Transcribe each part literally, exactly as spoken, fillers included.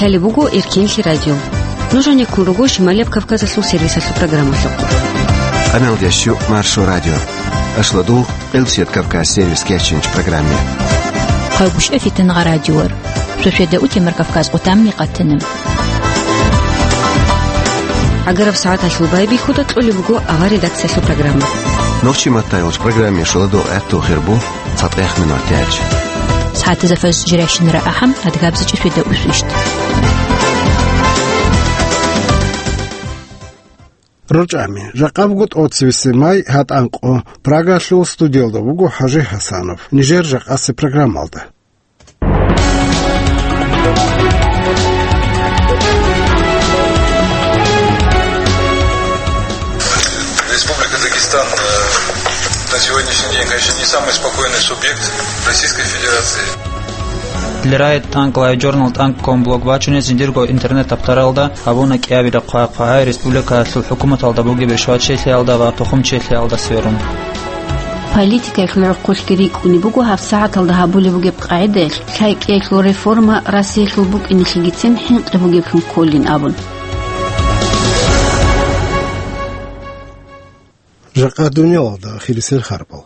Лъалеб буго Эркенлъи радио. Нуж гьанеккун руго Шималияб Кавказалъул сервисалъул программалъухъ. Къаналдияс щу Маршо радио. Ашладул Къилсият Кавказ сервис кечинч программе. Хъагушев Фитнагъа радиор. Шошеда утемар Кавказ къутамни къатана. Агараб сагӀаталъул байбихьуда кьолеб буго авар редакциялъул программа. Нохчи маттайолч программе шоладо гӀатту хирбу. ЦатӀех минут яч. СагӀатазда фаз жирайщинара ахӀам, адгабзичӀи шведа усвищт. РучӀами. Жакъа буго тӀоцевесеб май, гьатӀанкъо. Прагалъул студиялда буго ХӀажи ХӀасанов. Нижер жакъасеб программалда. Республика Дагестан, э, на сегодняшний день, конечно, не самый спокойный субъект Российской Федерации. Лерайт танк лайджорнал танк ком блог бачунез жиндирго интернет таптаралда гьабуна кӀиабилеб хъвай-хъвагӀай республикаялъул хӀукуматалда бугеб ришватчилъиялда ва тухумчилъиялда сверун. Политикаялъул гӀурхъулъги рикӀкӀунеб буго гьаб сагӀаталда гьабулеб бугеб къагӀидаялъ лъай кӀиялъул реформа Россиялъул букӀинеблъигицин хӀинкъи бугеблъун кколин абун. Жакъа дуниялалда ахирисел харбал.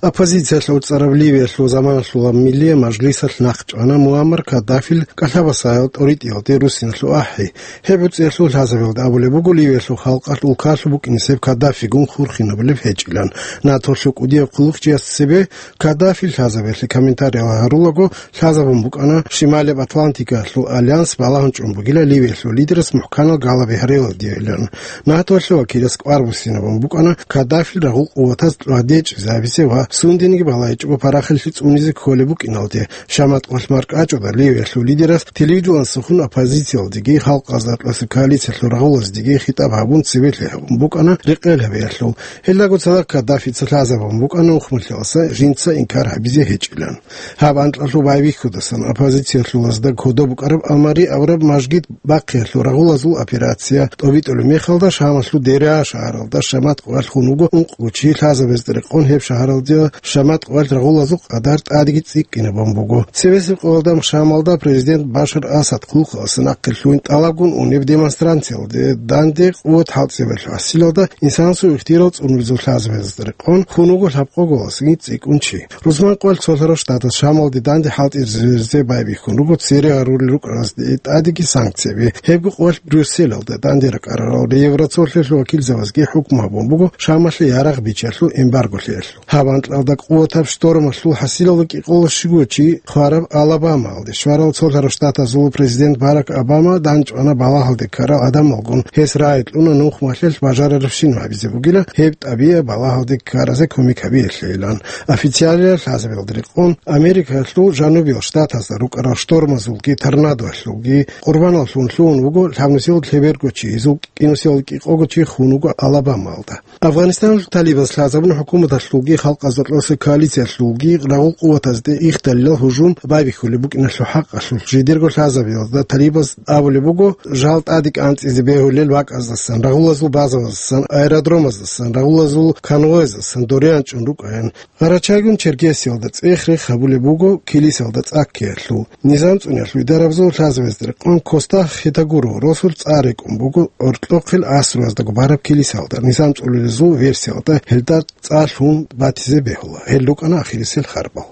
Оппозициялъ гӀуцӀараб Ливиялъул заманалъула Миллияб мажлисалъ нахъ чӀвана Муаммар Каддафил кӀалъабасаял тӀоритӀиялде руссиналъул ахӀи. Гьеб гӀуцӀиялъул лъазабиялда абулеб буго Ливиялъул халкъалъ улкалъуб букӀинесеб Каддафигун хурхинабулеб гьечӀилан. НАТОлъул кӀудияб хъулухъчияс цебе Каддафил лъазабиялъе комментариял гьарулаго лъазабун букӀана Шималияб Атлантикаялъул альянс балагьун чӀун бугила Ливиялъул лидерас мухӀканал галаби гьарилалдейилан. НАТОлъул вакилас кӀвар буссинабун букӀана Каддафил рагъул къуватаз тӀадечӀезабизе ва сундениги балагьичӀого парахалъи цӀунизе кколеб букӀиналде. Шамат къвалъ маркӀачӀуда Ливиялъул лидерас телевидениялдасухъун оппозициялдеги, халкъазда кьасеб коалициялъул рагъулаздеги хитӀаб гьабун цебелъи гьабун букӀана рекъел гьабиялъул. Гьелдаго цадахъ Каддафица лъазабун букӀана ухмулъиялса жинца инкар гьабизе гьечӀилан. Гьаб анкьалъул байбихьудасан оппозициялъулазда кодоб букӀараб Алмари абураб мажгит бахъиялъул рагъулазул операция тӀобитӀулеб мехалда Шамалъул Дереа шагьаралда шамат къвалъ хун вуго ункъго чи, лъазабезда рекъон гьеб шагьаралда шамат къвалъ рагъулазул къадар тӀадеги цӀикӀкӀинабун буго. Цебесеб къоялда Шамалда президент Башар Асад хъулухъалъа нахъе лъугьин тӀалабгун унеб демонстрациялде данде къуват хӀалтӀизабиялъул хӀасилалда инсанасул ихтияр цӀунбазул лъазабезда рекъон хун вуго лъабкъоголасги цӀикӀкӀун чи. Рузман къвалъ цолъарав штатас Шамалде данде хӀалтӀизабизе байбихьун руго цере гьарулел рукӀаразде тӀадеги санкцияби. Гьебго къвалъ Брюсселалда данде ракӀарарал Евроцолъиялъул вакилзабазги хӀукму гьабун буго Шамалъе ярагъ биччалъул эмбарго лъеялъул. Гьаб анкьалда къуватаб штормалъул хӀасилалда кӀикъоялда щуго чи хвараб Алабамаялде щварал цолъарав штатазул президент Барак Обама данчӀвана балагьалде ккарал гӀадамалгун, гьес рагӀи кьуна нухмалъелъ бажарарабщинаб гьабизе бугила гьеб тӀабигӀаб балагьалде ккаразе кумек гьабиялъейилан. Официалияб лъазабиялда рекъон Америкалъул жанубиял штатазда рукӀарал штормазулги торнадоялъулги къурбаналлъун лъугьун вуго лъабнусиялда лъеберго чи, гьезул кӀинусиялда кӀикъого чи хун вуго Алабамаялда. Афганистаналъул талибаз лъазабун хӀукуматалъулги халкъазда кьоса коалициялъулги рагъул къуватазде ихдалилал гьужум байбихьулеб букӀиналъул хӀакъалъулъ жидерго лъазабиялда талибаз абулеб буго, жал тӀаде кӀанцӀизе бегьулел бакӀаздасан, рагъулазул базабаздасан, аэродромаздасан, рагъулазул конвояздасан доре анчӀун рукӀаян. Къарачайгун Черкесиялда цӀех-рех гьабулеб буго килисалда цӀаккиялъул. Низам цӀуниялъул идарабазул лъазабазда рекъон Коста Хетагуро росулъ цӀа рекӀун буго гӀоркьохъел асруяздаго бараб килисалда. Низам цӀулулезул версиялда гьелда цӀа лъун батизе бегьула. Гьел рукӀана ахирисел харбал.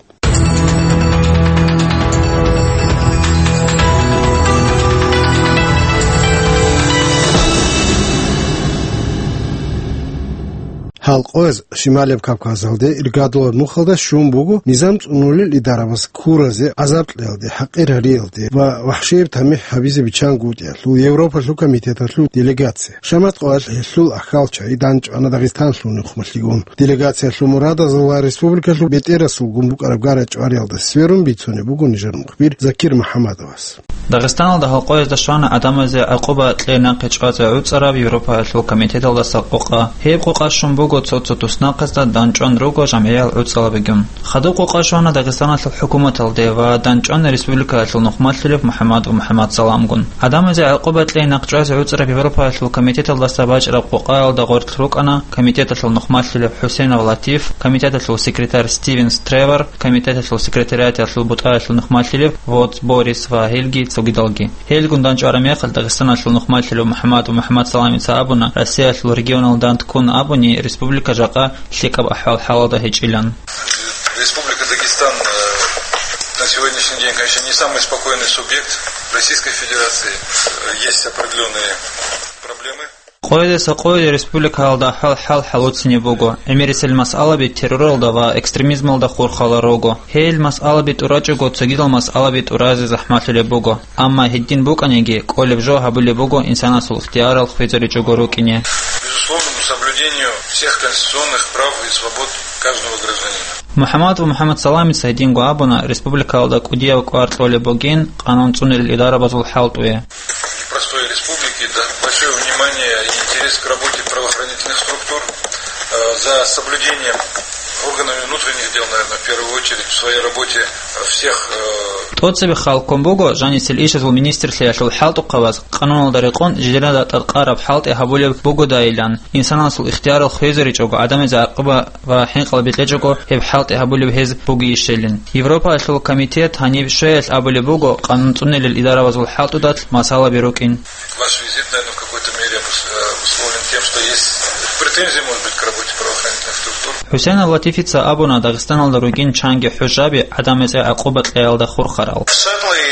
Гьалкъояз Шималияб Кавказалде иргадулаб нухалда щун буго низам цӀунулел идарабаз ккуразе, гӀазаб кьеялде, хӀакъир гьариялде ва вахӀшияб тамихӀ гьабизе биччан гутӀиялъул Европалъул комитеталъул делегация. Шамат къоялъ гьелъул ахьалчагӀи данчӀвана Дагъистаналъул нухмалъигун. Делегациялъул мурадазул ва республикалъул бетӀерасулгун букӀараб гара-чӀвариялда сверун бицунеб буго нижер мухбир Закир МухӀаммадовас. Дагъистаналда гьалкъоязда щвана гӀадамазе гӀакъуба кьей нахъе чӀвазе гӀуцӀараб Европаялъул комитеталдаса къокъа. Гьеб къокъа щун буго Цо-цо туснахъазда дандчӀван руго жамгӀиял гӀуцӀалабигун. Хадуб къокъа щвана Дагъистаналъул хӀукуматалде ва дандчӀвана республикаялъул нухмалъулев МухӀаммадов МухӀаммад Саламгун. Гьадамазе гӀакъуба кьей нахъчӀвазе гӀуцӀараб Европаялъул комитеталдаса бачӀараб къокъаялда гъоркь рукӀана комитеталъул нухмалъулев ХӀусейнов Латиф, комитеталъул секретарь Стивенс Тревор, комитеталъул секретариаталъул бутӀаялъул нухмалъулев Воц Борис ва гьелги цогидалги. Гьелгун дандчӀвараб мехалъ Дагъистаналъул нухмалъулев МухӀаммадов МухӀаммад Саламица абуна, Россиялъул регионалда дандккун абуни, республика жакъа лъикӀаб ахӀвал-хӀалалда гьечӀилан. Республика Дагестан, э, на сегодняшний день, конечно, не самый спокойный субъект Российской Федерации. Э, есть определённые проблемы. Къоялдаса къоялде республикаялда ахӀвал-хӀал хӀалуцинеб буго. ГӀемерисел масъалаби терроралда ва экстремизмалда хурхарал руго. Гьел масъалаби тӀурачӀого, цогидал масъалаби тӀуразе захӀмалъулеб буго. Амма гьедин букӀаниги, кӀолеб жо гьабулеб буго инсанасул ихтиярал хвезаричӀого рукӀине. Безусловному соблюдению всех конституционных прав и свобод каждого гражданина. МухӀаммад ва МухӀаммад Саламица гьединго абуна, республикаялда кӀудияб кӀвар кьолеб бугин къанун цӀунел идарабазул хӀалтӀуе. Непростой республики, да, большое внимание и интерес к работе правоохранительных структур, э, за соблюдением органами внутренних дел, наверное, в первую очередь в своей работе, э, всех, э, ТӀоцебе хал ккун буго жанисел ишазул министрлъиялъул хӀалтӀухъабаз, къануналда рекъон жидералда тӀадкъараб хӀалтӀи гьабулеб бугодайилан, инсанасул ихтиярал хвезаричӀого, гӀадамазе гӀакъуба ва хӀинкъал бекьичӀого гьеб хӀалтӀи гьабулеб гьез бугейищелин. Европаялъул комитет гьаниб щвеялъ абулеб буго, къанун цӀунелел идарабазул хӀалтӀудалъ масъалаби рукӀин. Ваш визит, наверное, в какой-то мере обус-, э, обусловлен тем, что есть претензии, может быть, к работе правоохранительных структур. ХӀусейнов Латифица абуна, Дагъистаналда ругин чанги хӀужаби гӀадамазе гӀакъуба кьеялда хурхарал. Certainly,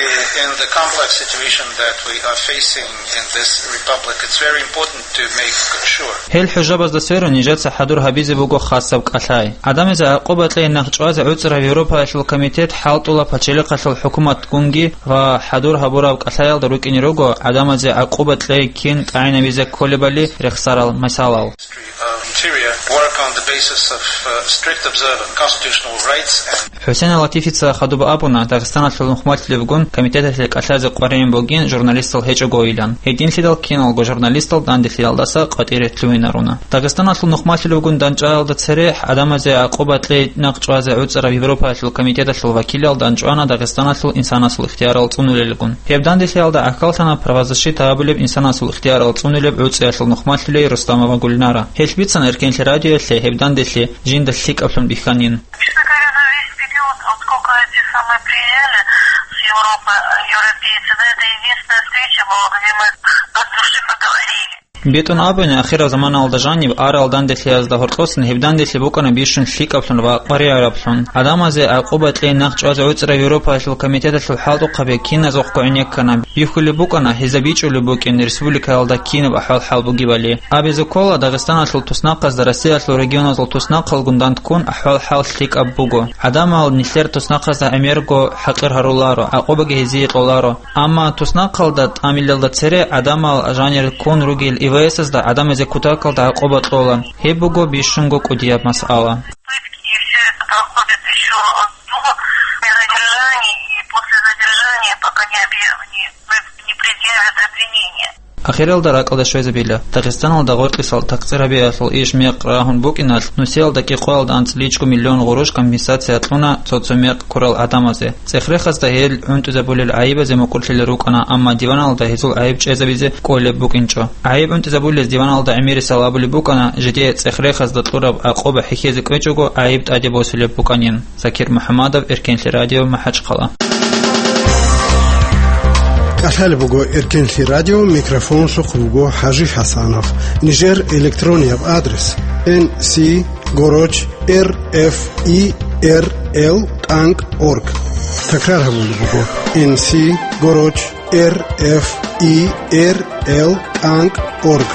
in the complex situation that we are facing in this republic, it's very important to make sure. Гьел хӀужабазда сверун нижеца хӀадур гьабизе буго хасаб кӀалъай. ГӀадамазе гӀакъуба кьей нахъ чӀвазе гӀуцӀараб Европаялъул комитет хӀалтӀула пачалихъалъул хӀукуматгунги ва хӀадур гьабураб кӀалъаялда рукӀине руго гӀадамазе гӀакъуба кьей кин тӀагӀинабизе кколебали рехсарал мисалал. Interior work on the basis of, uh, strict observance constitutional rights and ХӀусейн Латифица хадуб абуна, Дагъистаналъул нухмалъулевгун комитеталъе кӀалъазе къваригӀун бугин журналистал гьечӀогойилан. Гьединлъидал киналго журналистал данделъиялдаса къватӀире лъугьинаруна. Дагъистаналъул нухмалъулевгун данчӀваялда цере гӀадамазе гӀакъуба кьей нахъ чӀвазе гӀуцӀараб Европаялъул комитеталъул вакилал данчӀвана Дагъистаналъул инсанасул ихтиярал цӀунулелгун. Гьеб данделъиялда гӀахьаллъана правозащита гьабулеб инсанасул ихтиярал цӀунулеб гӀуцӀиялъул нухмалъулей Рустамова Гульнара. Гьелъ бицана Эркенлъи радиоялъе гьеб данделъи жинда лъикӀаблъун бихьанин. Честно говоря, за весь период, вот сколько эти самые приезжали с Европы, э, европейцы, да, это единственная встреча была, где мы от души поговорили. БетӀун абуни, ахираб заманалда жаниб арал данделъиязда гьоркьосан гьеб данделъи букӀана бищун лъикӀаблъун ва къваригӀараблъун. ГӀадамазе гӀакъуба кьей нахъ чӀвазе гӀуцӀараб Европаялъул комитеталъул хӀалтӀухъаби киназухъго гӀенеккана. Бихьулеб букӀана, гьезда бичӀчӀулеб букӀин республикаялда кинаб ахӀвал-хӀал бугебали. Абизе ккола, Дагъистаналъул туснахъазда Россиялъул регионазул туснахъалгун данккун ахӀвал-хӀал лъикӀаб буго. ГӀадамал нилъер туснахъазда гӀемерго хӀакъир гьаруларо, гӀакъубаги гьезие кьоларо. Амма туснахъалда тӀамилалда цере гӀадамал жанир ккун ругел ИВС-азда гӀадамазе кутакалда гӀакъуба кьола. Гьеб буго бищунго кӀудияб масъала. Пытки, и всё это проходит ещё до задержания и после задержания, пока не объя-, не, не предъявят обвинение. Ахиралда ракӀалда щвезабила. Дагъистаналда гъоркьисал такъцӀирабиялъул иш мекъ рагьун букӀиналъ, нусиялда кӀикъоялда анцӀличӀго миллион гъурущ компенсация кьуна цо-цо мекъ ккурал гӀадамазе. ЦӀехрехазда гьел гӀунтӀизабулел гӀайибазе мукӀурлъилел рукӀана, амма диваналда гьезул гӀайиб чӀезабизе кӀолеб букӀинчӀо. ГӀайиб гӀунтӀизабулез диваналда гӀемерисал абулеб букӀана, жидее цӀехрехазда кьураб гӀакъуба хӀехьезе кӀвечӀого гӀайиб тӀаде босулеб букӀанин. Закир МухӀаммадов, Эркенлъи радио, МахӀачхъала. КӀалъалеб буго Эркенлъи радио, микрофонсухъ руго ХӀажи ХӀасанов. Нижер электронияб адрес: Н С горочь Р Ф И Р Л тӀанкӀ орг. Такрар гьабулеб буго: Н С горочь Р Ф И Р Л тӀанкӀ орг.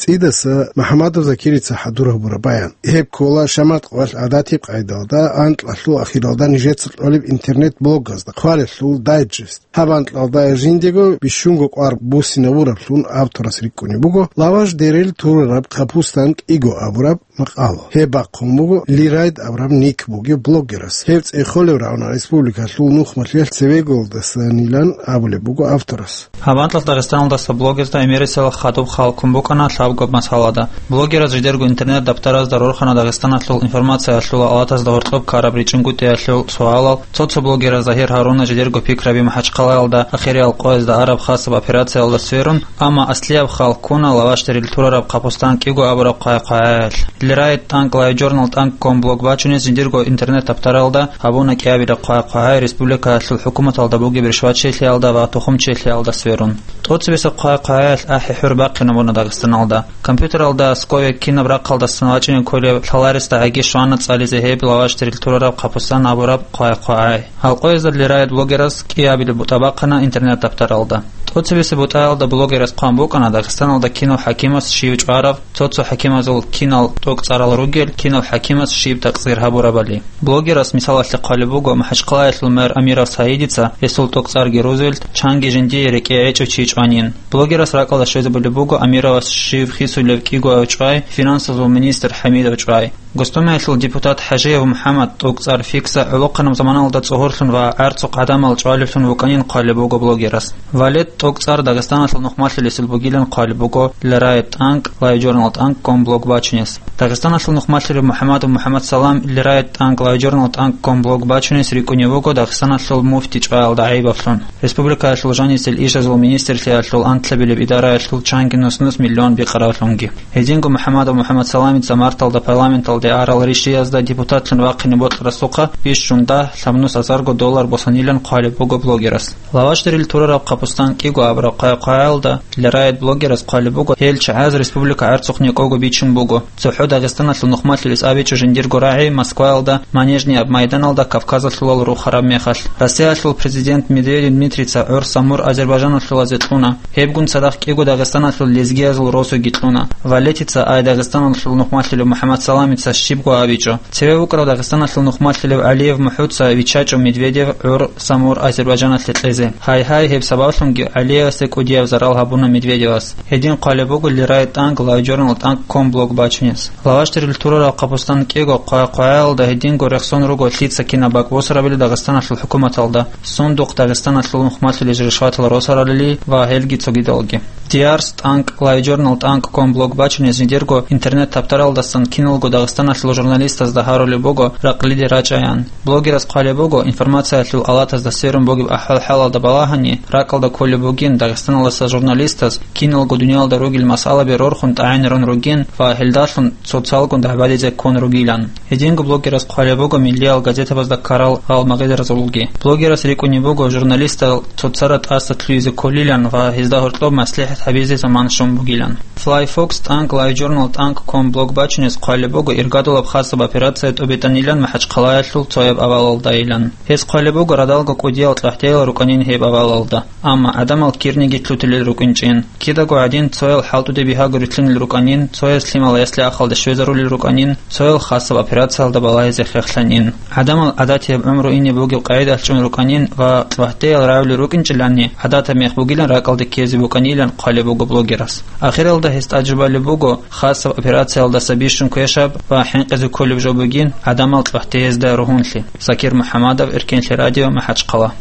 Идаса МухӀаммадов Закирица хӀадур гьабураб баян. Гьеб ккола Шамат къвалъ гӀадатиб къайдалда, анкьалъул ахиралда нижеца кьолеб интернет-блогазда, хъвалелъул дайджест. Гьаб анкьалда жиндего бищунго кӀвар буссинабураблъун авторас рикӀкӀунеб буго лаваш дерил турараб капустан кӀиго абураб макъала. Гьеб бахъун буго Лирайд абураб ник бугеб блогерас. Гьеб цӀехолеб рагӀуна республикалъул нухмалъиялъ цевеголдасанилан абулеб буго авторас. Гьаб анкьалъ Дагъистаналдаса блогерзда гӀемерисел хадуб хал ккун букӀана лъабго масъалада. Блогераз жидерго интернет-даптаразда рорхана Дагъистаналъул информациялъул алатазда гьоркьоб ккараб ричӀинкӀутӀиялъул суалал, цо-цо блогераз Загьир Гьаруна жидерго пикраби МахӀачхъалаялда ахирияб къоязда араб хасаб операциялда сверун, амма аслияб хал ккуна лаваш дерил турараб капустан кӀиго абураб хъвай-хъвагӀаялъ. Лирайд тӀанкӀ лайв журнал тӀанкӀ ком блог бачунес жиндирго интернет-даптаралда гьабуна кӀиабилеб хъвай-хъвагӀай республикаялъул хӀукуматалда бугеб ришватчилъиялда ва тухумчилъиялда сверун. ТӀоцебесеб хъвай-хъвагӀаялъ ахӀи-хӀур бахъинабуна Дагъистаналда. Компьютералда аскове кинаб рахъалдасан вачӀине кколеб лъаларесда гӀаги щвана цӀализе гьеб лаваш дерил турараб капустан абураб хъвай-хъвагӀай. Гьал къоязда Лирайд блогерас кӀиабилеб бутӀа бахъана интернет-даптаралда. ТӀоцебесеб бутӀаялда блогерас хъван букӀана Дагъистаналда кинав хӀакимас щив чӀварав, цо-цо хӀакимазул кинал тӀокӀцӀарал ругел, кинав хӀакимас щиб такъсир гьабурабали. Блогерас мисалалъе хъвалеб буго МахӀачхъалаялъул мэр Амиров Саидица, гьесул тӀокӀцӀарги Рузвельт, чанги жиндие рекӀее гӀечӀев чи чӀванин. Блогерас ракӀалда щвезабулеб буго Амировас щив хисулев кӀиго чӀвай, финансазул министр ХӀамидов чӀвай. Госдумаялъул депутат ХӀажиев МухӀаммад, тӀокӀцӀар Фикса, гӀолохъанаб заманалда цӀогьорлъун ва гӀарцухъ гӀадамал чӀвалевлъун вукӀанин хъвалеб буго блогерас. Валет, тӀокӀцӀар Дагъистаналъул нухмалъулесел бугилан хъвалеб буго Лирайд тӀанкӀ лайв журнал тӀанкӀ ком блог бачунес. Дагъистаналъул нухмалъулев МухӀаммадов МухӀаммад Салам Лирайд тӀанкӀ лайв журнал тӀанкӀ ком блог бачунес рикӀкӀунев вуго Дагъистаналъул муфти чӀваялда гӀайибаблъун, республикаялъул жанисел ишазул министрлъиялъул анкьабилеб идараялъул чанги нус-нус миллион бикъаравлъунги. Гьединго МухӀаммадов МухӀаммад Саламица марталда парламенталде арал ришиязда депутатлъун вахъине бокьарасухъа бищун дагь лъабнус азарго доллар босанилан хъвалеб буго блогерас. Лаваш дерил турараб капустан кӀиго абураб хъвай-хъвагӀаялда Лирайд блогерас хъвалеб буго, гьел чагӀаз республика гӀарцухъ некӀого бичун буго. ЦохӀо Дагъистаналъул нухмалъулес абичӀо жиндирго рагӀи Москваялда, Манежный аб майданалда Кавказалъулал рухараб мехалъ. Россиялъул президент Медведев Дмитрица гӀур Самур Азербайджаналъулазе кьуна. Гьебгун цадахъ кӀиго Дагъистаналъул лезгиязул росуги кьуна. Валетица ай Дагъистаналъул нухмалъулев МухӀаммад Саламица щибго абичӀо. Цеве вукӀарав Дагъистаналъул нухмалъулев ГӀалиев МухӀудца виччачӀо Медведев гӀур Самур Азербайджаналъе кьезе. Гьай-гьай, гьеб сабаблъунги ГӀалиевасде кӀудияб зарал гьабуна Медведевас. Гьедин хъвалеб буго Лирайд тӀанкӀ лайв журнал тӀанкӀ ком блог бачунес. Лаваш дерил турараб капустан кӀиго хъвай-хъвагӀаялда гьединго рехсон руго лъица кинаб бакӀ босарабили Дагъистаналъул хӀукуматалда, сундухъ Дагъистаналъул нухмалъулел ришватал росаралили ва гьелги цогидалги. Диарс тӀанкӀ лайв журнал тӀанкӀ ком блог бачунес жиндирго интернет-таптаралдасан киналго Дагъистаналъул журналистазда гьарулеб буго ракълиде рачӀаян. Блогерас хъвалеб буго, информациялъул алатазда сверун бугеб ахӀвал-хӀалалда балагьани, ракӀалда кколеб бугин Дагъистаналдаса журналистаз киналго дуниялда ругел масъалаби рорхун тӀагӀинарун ругин ва гьелдалъун цоцалгун дагӀбадизе ккун ругилан. Гьединго блогерас хъвалеб буго миллиял газетабазда ккарал гьал магъидеразулги. Блогерас рикӀкӀунеб буго журналистал цоцара тӀаса лъугьизе кколилан ва гьезда гьоркьоб маслихӀат гьабизе заман щун бугилан. Флайфокс тӀанкӀ лайв журнал тӀанкӀ ком блог бачунес хъвалеб буго иргадулаб хасаб операция тӀубитӀанилан МахӀачхъалаялъул цояб авалалдайилан. Гьез хъвалеб буго радалго кӀудиял чӀвахӀтиял рукӀанин гьеб авалалда. Амма гӀадамал кирниги лъутулел рукӀинчӀин. Кидаго гӀадин, цоял хӀалтӀуде бигьаго рилълъунел рукӀанин, цояс лъимал ясли-ахалде щвезарулел рукӀанин, цоял хасаб операциялда балагьизе хехлъанин. ГӀадамал гӀадатияб гӀумру ине бугеб къагӀидалъ чӀун рукӀанин ва чӀвахӀтиял рагӀулел рукӀинчӀиланни, гӀадатаб мех бугилан ракӀалде ккезе букӀанилан хъвалеб буго блогерас. Ахиралда гьес тӀаджубалеб буго, хасаб операциялдаса бищун квешаб ва хӀинкъизе кколеб жо бугин гӀадамал чӀвахӀтеязда ругьунлъи. Закир МухӀаммадов, Эркенлъи радио, МахӀачхъала.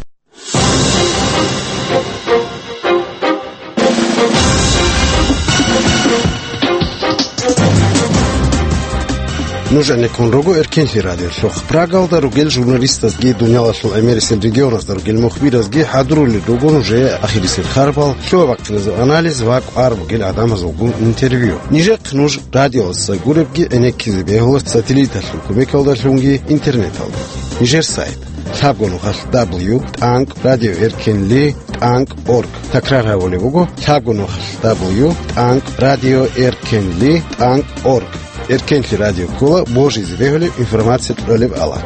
Нуж гӀенеккун руго Эркенлъи радиолъухъ. Прагалда ругел журналистазги, дуниялалъул гӀемерисел регионазда ругел мухбиразги хӀадурулел руго нужее ахирисел харбал, лъугьа-бахъиназул анализ ва кӀвар бугел гӀадамазулгун интервью. Нижехъ нуж радиоялдаса гуребги гӀенеккизе бегьула сателлиталъул кумекалдалъунги интернеталдаги. Нижер сайт: лъабго нухалъ дабл ю тӀанкӀ радио эркенли тӀанкӀ орг. Такрар гьабулеб буго: лъабго нухалъ дабл ю тӀанкӀ радио эркенли тӀанкӀ орг. Эркенлъи радио ккола божизе бегьулеб информация кьолеб алат.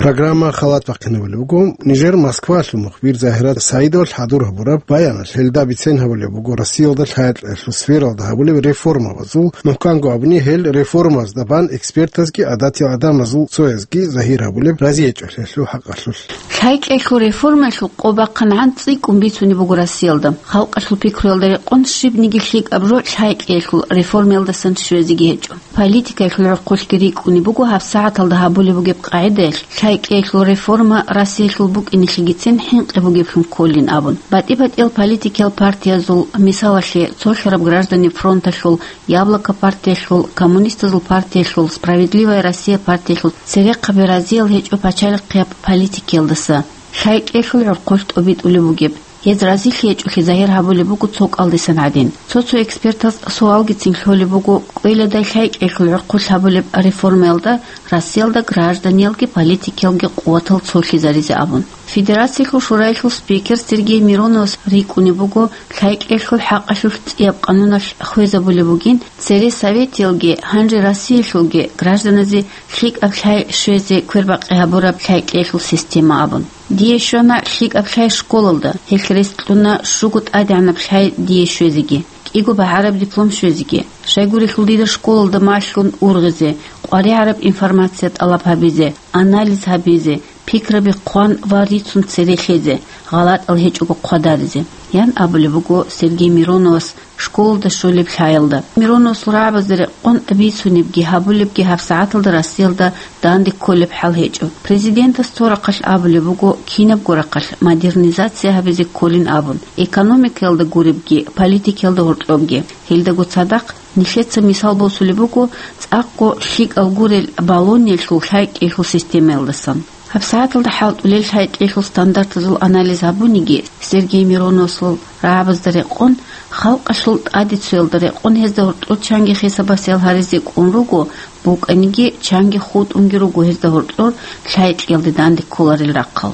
Программа халат бахъинабулеб буго. Нижер Москвалъул мухбир Загьират Саидовалъ хӀадур гьабураб баяналъ гьелда бицен гьабулеб буго Россиялда лъай-кьеялъул сфералда гьабулеб реформабазул, мухӀканго абуни, гьел реформазда бан экспертазги гӀадатиял гӀадамазул цоязги загьир гьабулеб разиячӀолъиялъул хӀакъалъулъ. Лъай-кьеялъул реформаялъул къо бахъангӀан цӀикӀкӀун бицунеб буго Россиялда. Халкъалъул пикруялда рекъон щибниги лъикӀаб жо лъай-кьеялъул реформаялдасан щвезеги гьечӀо. Политикаялъул гӀурхъулъги рикӀкӀунеб буго гьабсагӀаталда гьабулеб бугеб къагӀидаялъ, лъай-кьеялъул реформа Россиялъул букӀинелъигицин хӀинкъи бугеблъун кколин абун. БатӀи-батӀиял политикиял партиязул, мисалалъе, цолъараб Граждане фронталъул, Яблоко партиялъул, Коммунистазул партиялъул, Справедливая Россия партиялъул церехъаби разиял гьечӀо пачалихъияб политикиялдаса, лъай-кьеялъул гӀурхъулъ тӀобитӀулеб бугеб. Гьез разилъи гьечӀолъи загьир гьабулеб буго цо кӀалдисан гӀадин. Цо-цо экспертаз суалгицин лъолеб буго, кӀвеладай лъай-кьеялъул гӀурхъулъ гьабулеб реформаялда Россиялда гражданиялги политикиялги къуватал цолъизаризе абун. Федерациялъул шураялъул спикер Сергей Мироновас рикӀкӀунеб буго, лъай-кьеялъул хӀакъалъулъ цӀияб къануналъ хвезабулеб бугин, цере Советиялги, гьанже Россиялъулги гражданазе лъикӀаб лъай щвезе квербакъи гьабураб лъай-кьеялъул система абун. Дие щвана лъикӀаб лъай школалда, гьелъ рес кьуна щуго тӀадегӀанаб лъай дие щвезеги, кӀиго багӀараб диплом щвезеги. Щайгурелъул дида школалда малъун ургъизе, къваригӀараб информация тӀалаб гьабизе, анализ гьабизе, пикраби хъван ва рицун цере лъезе, гъалатӀал гьечӀого хъвадаризе, ян абулеб буго Сергей Мироновас школалда щолеб лъаялда. Мироновасул рагӀабазда рекъон бицунебги гьабулебги гьабсагӀаталда Россиялда данде кколеб хӀал гьечӀо. Президентас цо рахъалъ абулеб буго, кинабго рахъалъ модернизация гьабизе кколин абун, экономикаялда гуребги, политикаялда гьоркьобги. Гьелдаго цадахъ нилъеца мисал босулеб буго цӀакъго лъикӀал гурел Болоньялъул лъай-кӀиялъул системаялдасан. ГьабсагӀаталда хӀалтӀулел лъай-кӀиялъул стандартазул анализ гьабуниги, Сергей Мироновасул рагӀабазда рекъон, халкъалъул тӀадицуялда рекъон гьезда гьоркьор чанги хисаб-басиал гьаризе кӀун руго, букӀаниги чанги хутӀунги руго гьезда гьоркьор лъай-кӀиялде данде кколарел рахъал.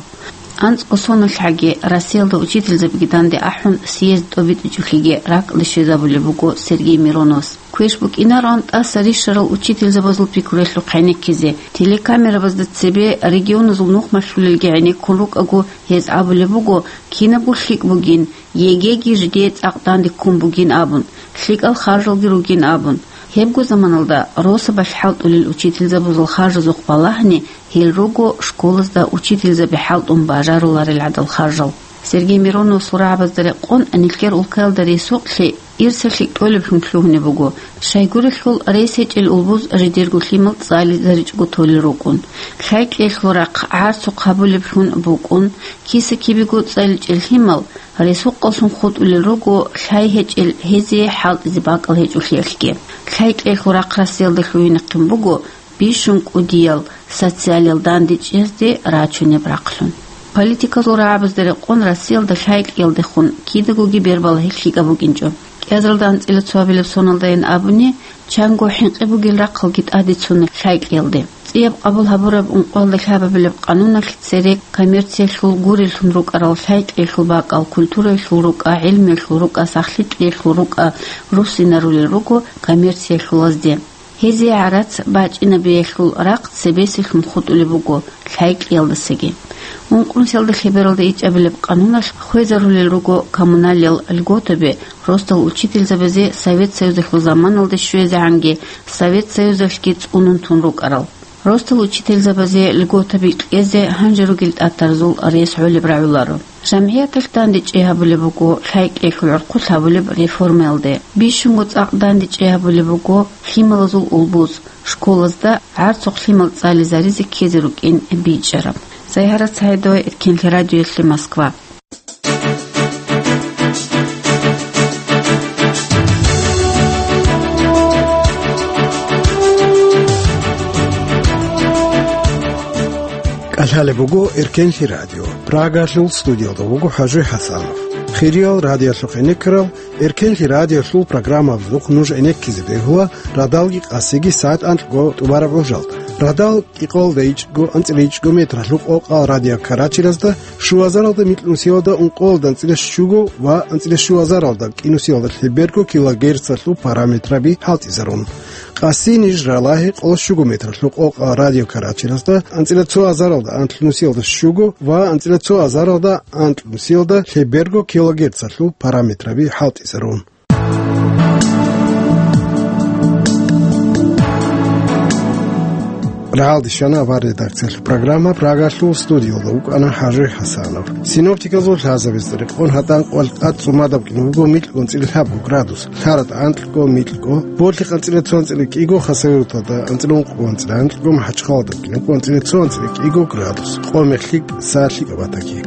АнцӀго соналъ гӀаги Россиялда учительзабиги данде ахӀун съезд тӀобитӀичӀолъиги ракӀалде щвезабулеб буго Сергей Мироновас. Квеш букӀинароан тӀаса рищарал учительзабазул пикруялъухъ гӀенеккизе, телекамерабазда цебе регионазул нух малъулелги гӀенеккун рукӀаго, гьез абулеб буго, кинабго лъикӀ бугин, ЕГЭ-ги жидее цӀакъ данде ккун бугин абун, лъикӀал харжалги ругин абун. Гьебго заманалда росабалъ хӀалтӀулел учительзабазул харжазухъ балагьани, гьел руго школазда учительзаби хӀалтӀун бажаруларел гӀадал харжал. Сергей Мироновасул рагӀабазда рекъон нилъер улкаялда ресукълъи ирсалъи кьолеблъун лъугьунеб буго, щайгурелъул рес гьечӀел улбуз жидерго лъимал цӀализаричӀого толел рукӀун. ЛъайкӀиялъул рахъ гӀарцухъ гьабулеблъун букӀун, киса-кибего цӀаличӀел лъимал ресукъаллъун хутӀулел руго, лъай гьечӀел гьезие хӀалтӀизе бакӀал гьечӀолъиялъги. ЛъайкӀиялъул рахъ Россиялда лъугьинехъин буго бищун кӀудиял социалиял дандечӀезде рачунеб рахълъун. Политикалъул рагӀабазда рекъон Россиялда лъайкӀиялдехун кидагоги бербал гьелъ лъикӀаб букӀинчӀо. КӀиазаралда анцӀила цоабилеб соналдайин абуни, чанго хӀинкъи бугел рахъалги тӀадицуна лъайкӀиялде. ЦӀияб къабул гьабураб ункъоялда лъабабилеб къануналъ цере коммерциялъул гуреллъун рукӀарал лъайкӀиялъул бакӀал культураялъул рукӀа, гӀилмуялъул рукӀа, сахлъи-кьеялъул рукӀа руссинарулел руго коммерциялъулазде. Гьезие гӀарац бачӀинабиялъул рахъ цебесеблъун хутӀулеб буго лъайкӀиялдасаги. Ункънусиялда лъебералда ичӀабилеб къануналъ хвезарулел руго коммуналиял льготаби росдал учительзабазе Совет Союзалъул заманалде щвезегӀанги Совет Союзалъги цӀунун тун рукӀарал. Росдал учительзабазе льготаби кьезе гьанже ругел тӀатарзул рес гӀолеб рагӀуларо. ЖамгӀияталъ дандечӀей гьабулеб буго лъайкӀиялъул гӀурхъулъ гьабулеб реформаялде. Бищунго цӀакъ дандечӀей гьабулеб буго лъималазул улбуз, школазда гӀарцухъ лъимал цӀализаризе ккезе рукӀин бичӀчӀараб. Загьарат Саидова, Эркенлъи радиоялъе, Москва. КӀалъалеб буго Эркенлъи радио. Прагалъул студиялда вуго ХӀажи ХӀасанов. Хириял радиолъухъ гӀенеккарал Эркенлъи радиолъул программабазухъ нуж гӀенеккизе бегьула радалги къасиги сагӀат анкьго тӀубараб гӀужалда. Радал кӀикъоялда ичӀго, анцӀила ичӀго метралъул къокъа радиокарачелазда, щуазаралда микьнусиялда ункъоялда анцӀила щуго ва анцӀила щуазаралда кӀинусиялдалъе берго килогерцалъул параметраби хӀалтӀизарун. Къаси-Ниж ралагьи къоло щуго метралъул къокъа радиокарачелазда, анцӀила цоазаралда анлънусиялда щуго ва анцӀила цоазаралда анлънусиялдалъе берго килогерцалъул параметраби хӀалтӀизарун. Рагьалде щвана авар редакциялъул программа, Прагалъул студиялда вукӀана ХӀажи ХӀасанов. Синоптиказул лъазабица рекъон гьатӀан къвалкъад цӀумадаб кӀин буго микьго анцӀила лъабго градус, ЛъаратӀа анкьго микьго, Борлъихъ анцӀила цо анцӀила кӀиго, Хасавюрталда анцӀила ункъго анцӀила анкьго, МахӀачхъаладаб кӀин буго анцӀила цо анцӀила кӀиго градус, Къомехлъи са лъикӀаб батаги.